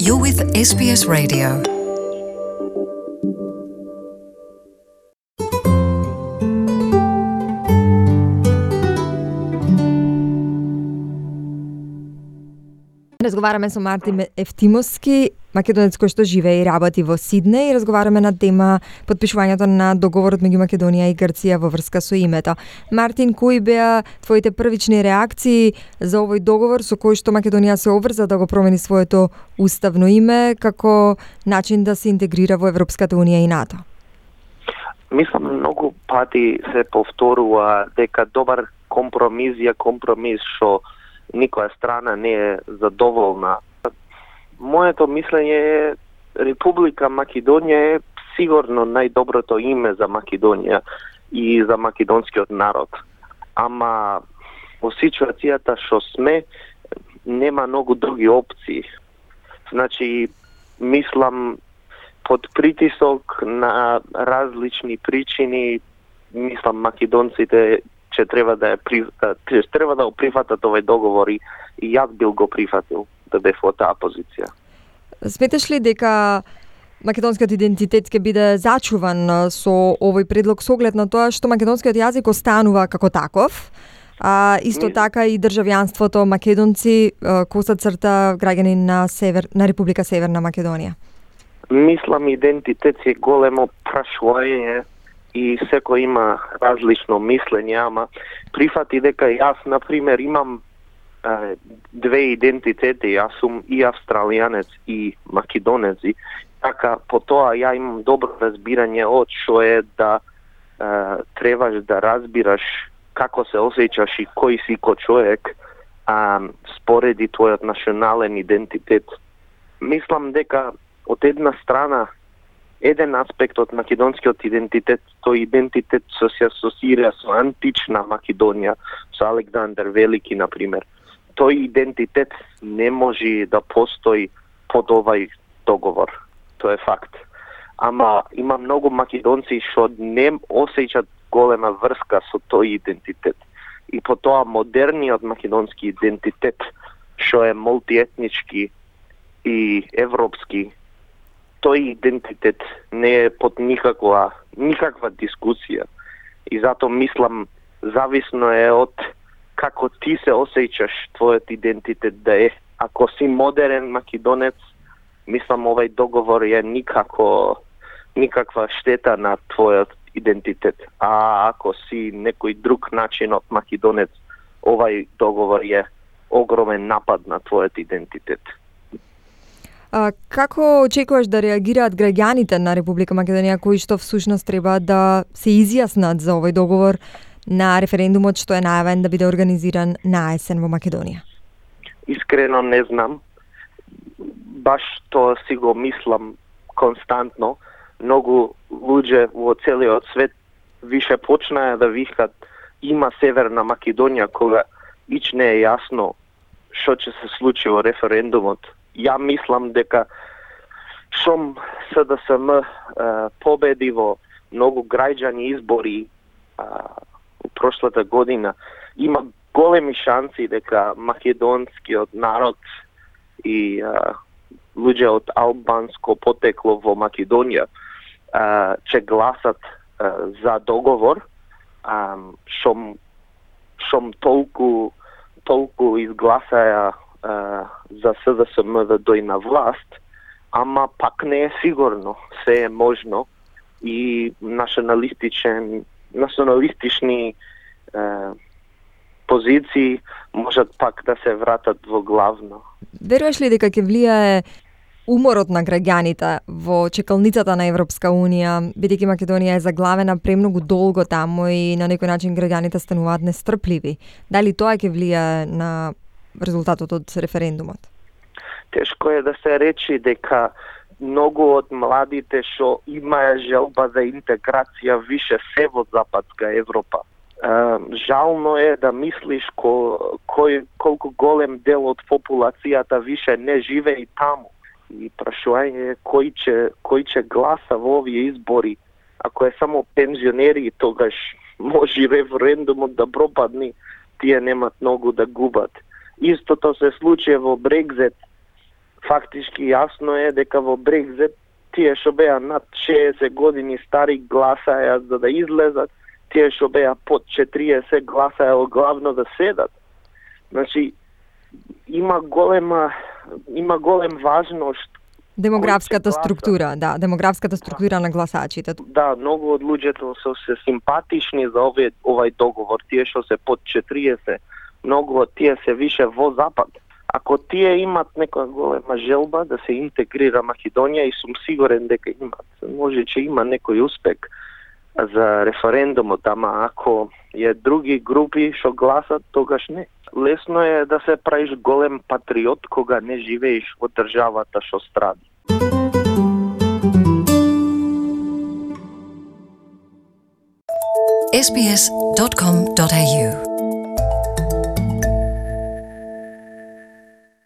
You're with SBS Radio. Разговараме со Мартин Ефтимовски, македонец кој што живее и работи во Сиднеј, и разговараме на тема потпишувањето на договорот меѓу Македонија и Грција во врска со името. Мартин, кои беа твоите првични реакции за овој договор со кој што Македонија се обврза да го промени своето уставно име како начин да се интегрира во Европската унија и НАТО? Мислам, многу пати се повторува дека добар компромис е компромис што никоја страна не е задоволна. Моето мислење е Република Македонија е сигурно најдоброто име за Македонија и за македонскиот народ. Ама во ситуацијата што сме, нема многу други опции. Значи, мислам, под притисок на различни причини, мислам македонците че треба да го прифатат овој договор и јас бил го прифатил да бев во таа позиција. Сметаш ли дека македонскиот идентитет ќе биде зачуван со овој предлог со оглед на тоа што македонскиот јазик останува како таков, а исто така и државјанството македонци коса црта граѓани на Република Северна Македонија? Мислам, идентитет е големо прашување и секој има различно мислење, ама прифати дека јас, например, имам две идентитети, јас сум и австралијанец и македонец, и така по тоа ја имам добро разбирање од што е да требаш да разбираш како се осеќаш и кој си ко човек спореди твојот национален идентитет. Мислам дека од една страна еден аспект од македонскиот идентитет, тој идентитет се асоцира со антична Македонија, со Александар Велики, например. Тој идентитет не може да постои под овај договор. Тоа е факт. Ама има многу македонци што не осеќаат голема врска со тој идентитет. И по тоа модерниот македонски идентитет, што е мултиетнички и европски, тој идентитет не е под никаква дискусија. И затоа мислам, зависно е од како ти се осеќаш твојот идентитет да е. Ако си модерен македонец, мислам овај договор е никаква штета на твојот идентитет. А ако си некој друг начин од македонец, овај договор е огромен напад на твојот идентитет. Како очекуваш да реагираат граѓаните на Република Македонија кои што всушност треба да се изјаснат за овој договор на референдумот што е најавен да биде организиран на есен во Македонија? Искрено не знам. Баш тоа си го мислам константно. Многу луѓе во целиот свет више почнаа да викат има Северна Македонија кога ич не е јасно што ќе се случи во референдумот. Ја мислам дека шом СДСМ победи во многу граѓани избори прошлата година, има големи шанси дека македонскиот народ и луѓе од албанско потекло во Македонија ќе гласат за договор, шом толку изгласаја за СДСМ да дојде на власт, ама пак не е сигурно, се е можно и националистични позиции можат пак да се вратат во главно. Веруваш ли дека ќе влијае уморот на граѓаните во чекалницата на Европска унија, бидејќи Македонија е заглавена премногу долго таму и на некој начин граѓаните стануваат нестрпливи? Дали тоа ќе влијае на резултатот од референдумот? Тешко е да се речи дека многу од младите што имаја желба за интеграција више се во Западска Европа. Жално е да мислиш колку голем дел од популацијата више не живее таму. И прашување е кој ќе гласа во овие избори. Ако е само пензионери, тогаш може референдумот да пропадне, тие немат многу да губат. Истото се случи во Брекзит. фактички јасно е дека во Брекзит тие што беа над 60 години стари гласаја за да излезат, тие што беа под 40 гласаја главно да седат. Значи, има голем важност демографската структура, да, демографската структура на гласачите. Да, многу од луѓето се симпатични за овај договор, тие што се под 40, многу од тие се више во запад. Ако тие имат некоја голема желба да се интегрира Македонија, и сум сигурен дека имат, може че има некој успех за референдумот, ама ако е други групи што гласат, тогаш не. Лесно е да се правиш голем патриот кога не живееш во државата што стради. sbs.com.au